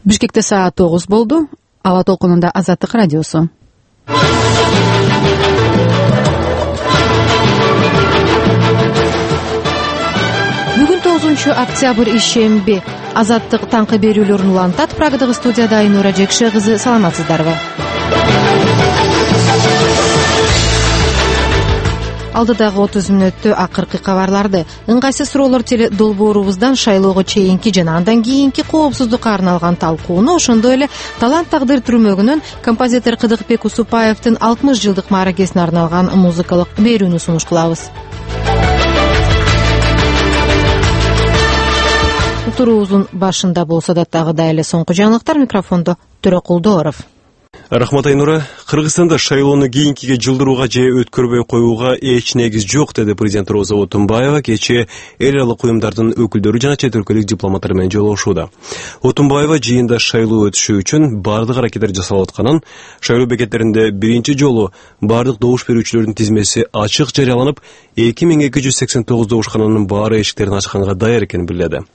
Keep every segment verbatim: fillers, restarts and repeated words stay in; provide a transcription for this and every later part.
Бишкекте саат тогуз болду. Ала толкунунда Азаттык радиосу. Бүгүн тогузунчу октябрь ишемби. Азаттык таңкы берүүлөрүн улантат. Прагадагы студияда Айнура Жекше кызы. Саламатсыздарбы? Алдыдагы отуз мүнөттө акыркы кабарларды, ыңгайсыз суроолор теле долбоорубуздан шайлоого чейинки жана андан кийинки коопсуздукка арналган талкууну, ошондой эле талант тагдыр түрмөгүнөн композитор Кыдыкбек Усупаевдин алтымыш жылдык мааракесине арналган музыкалык берүүнү сунуш кылабыз. Уктуруубуздун башында болсо да тагыда эле соңку жаңылыктар. Микрофондо Төрөкулдооров. Рахмат Айнура. Кыргызстанда шайлоону кийинкиге жылдырууга же өткөрбөй коюуга эч негиз жок, деди президент Роза Отунбаева кечээ эл аралык уюмдардын өкүлдөрү жана чет өлкөлүк дипломаттар менен жолугушууда. Отунбаева жыйында шайлоо өтүшү үчүн бардык аракеттер жасалып атканын, шайлоо бекеттеринде биринчи жолу бардык добуш берүүчүлөрдүн тизмеси ачык жарыяланып, эки миң эки жүз сексен тогуз добушкананын баары эшиктерин ачканга даяр экенин билдирди.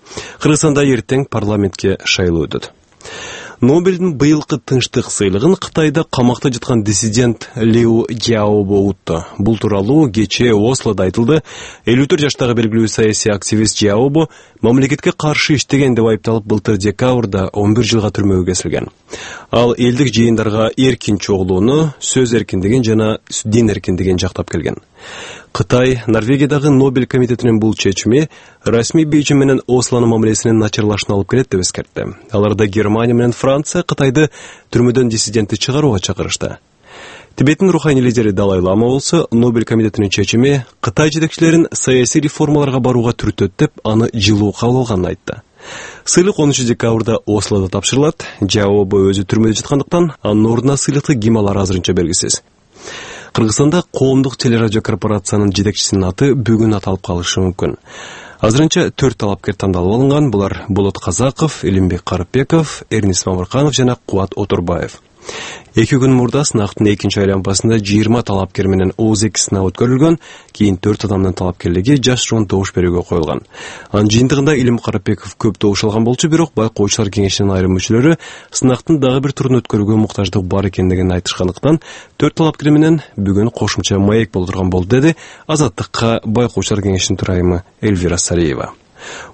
Кыргызстанда эртең парламентке шайлоо өтөт. Нобелдин быйылкы тынчтык сыйлыгын Кытайда камакта жаткан диссидент Лиу Цзяобо утту. Бул тууралуу кечээ Ослода айтылды. элүү төрт жаштагы белгилүү саясий активист Цзяобо мамлекетке каршы иштеген деп айыпталып, былтыр декабрда он бир жылга түрмөгө кесилген. Ал элдик жыйындарга эркин чогулууну, сөз эркиндигин жана дин эркиндигин жактап келген. Кытай Норвегиядагы Нобель комитетинин бул чечими расмий Бейжиң менен Ослонун мамилесинин начарлашына алып келет деп эскертти. Аларда Германия менен Франция Кытайды түрмөдөн диссидентти чыгарууга чакырышты. Тибеттин руханий лидери Далай Лама болсо Нобель комитетинин чечими Кытай жетекчилерин саясий реформаларга барууга түртөт деп, аны жылуу кабыл алганын айтты. Сыйлык онунчу декабрда Ослода тапшырылат. Цзяобо өзү түрмөдө жаткандыктан анын ордуна сыйлыкты ким алары азырынча белгисиз. Кыргызстанда коомдук телерадио корпорациянын жетекчисинин аты бүгүн аталып калышы мүмкүн. Азырынча төрт талапкер тандалып алынган. Булар Болот Казаков, Элимбек Карыпбеков, Эрнис Мамырканов жана Кубат Отурбаев. Эки күн мурда сынактын экинчи айланпасында жыйырма талапкер менен отуз эки сынак өткөрүлгөн. Кийин төрт адамдын талапкерлиги жашыруун добуш берүүгө коюлган. Анын жыйынтыгында Илим Карыпбеков көп добуш алган болчу, бирок байкоочулар кеңешинин айрым мүчөлөрү сынактын дагы бир турун өткөрүүгө муктаждык бар экендигин айтышкандыктан төрт талапкер менен бүгүн кошумча маек болтурган болду, деди Азаттыкка байкоочулар кеңешинин төрайымы Эльвира Сариева.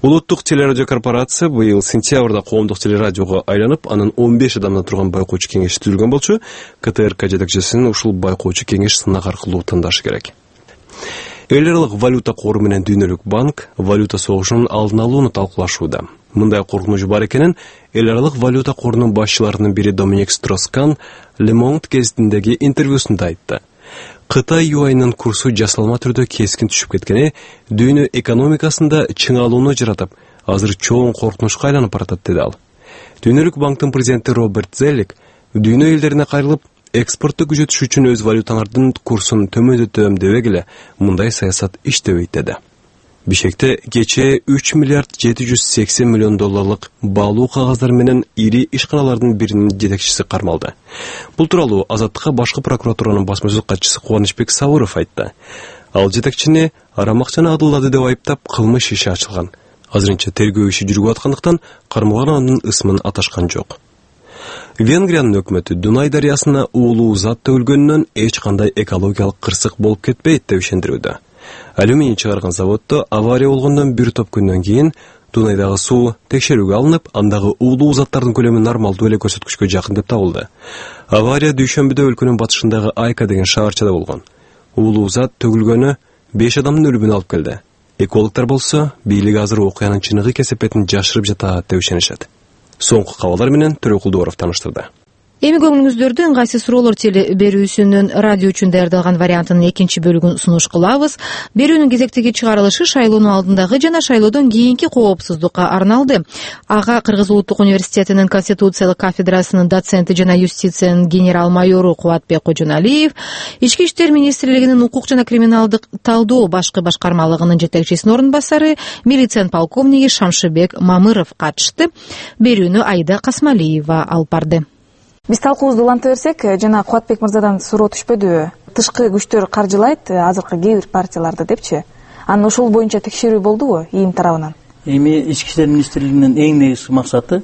Улуттук телерадио корпорация быйыл сентябрда коомдук телерадиого айланып, анын он беш адамдан турган байкоочу кеңеши түзүлгөн болчу. КТРК жетекчисин ушул байкоочу кеңеш сынак аркылуу тындашы керек. Эл аралык валюта кору менен Дүйнөлүк банк валюта согушунун алдын алууну талкуулашууда. Мындай коркунуч бар экенин эл аралык валюта корунун башчыларынын бири Доминик Строскан Le Monde гезитиндеги интервьюсунда айтты. Кытай юанынын курсу жасалма түрдө кескин түшүп кеткени дүйнө экономикасында чыңалууну жаратып, азыр чоң коркунучка айланып баратат, деди ал. Дүйнөлүк банктын президенти Роберт Зеллик дүйнө элдерине кайрылып, экспортту күчөтүш үчүн өз валюталардын курсун төмөндөтөм дебек эле мындай саясат иштебейт, деди. Бишкекте кечээ үч миллиард жети жүз сексен миллион долларлык баалуу кагаздар менен ири ишканалардын биринин жетекчиси кармалды. Бул тууралуу Азаттыкка башкы прокуратуранын басма сөз катчысы Кубанычбек Сабыров айтты. Ал жетекчини арам акчаны адылдады деп айыптап, кылмыш иши ачылган. Азырынча тергөө иши жүрүп аткандыктан кармалган анын ысмын аташкан жок. Венгриянын өкмөтү Дунай дарыясына уулуу зат төгүлгөнүнөн эч кандай экологиялык кырсык болуп кетпейт деп ишендирүүдө. Алюминий чыгарган заводдо авария болгондон бир топ күндөн кийин Дунайдагы суу текшерүүгө алынып, андагы уулуу заттардын көлөмү нормалдуу эле көрсөткүчкө жакын деп табылды. Авария дүйшөмбүдө өлкөнүн батышындагы Айка деген шаарчада болгон. Уулуу зат төгүлгөнү беш адамдын өлүмүнө алып келди. Экологдор болсо бийлик азыр окуянын чыныгы кесепетин жашырып жатат деп ишенишет. Соңку кабарлар менен Төрөкулдооров таныштырды. Эми көңүлүңүздөрдү ыңгайсыз суроолор теле берүүсүнүн радио үчүн даярдалган вариантынын экинчи бөлүгүн сунуш кылабыз. Берүүнүн кезектеги чыгарылышы шайлоонун алдындагы жана шайлоодон кийинки коопсуздукка арналды. Ага Кыргыз Улуттук университетинин конституциялык кафедрасынын доценти жана юстициянын генерал майору Кубатбек Кожоналиев, Ички иштер министрлигинин укук жана криминалдык талдоо башкы башкармалыгынын жетекчисинин орун басары милиция полковниги Шамшыбек Мамыров катышты. Берүүнү Айда Касмалиева алып барды. Биз талкуубузду уланта берсек, жана Кубатбек мырзадан суроо түшпөдүбү? Тышкы күчтөр каржылайт азыркы кээ бир партияларды депчи. Анан ошол боюнча текшерүү болдубу ийим тарабынан? Эми Ички иштер министрлигинин эң негизги максаты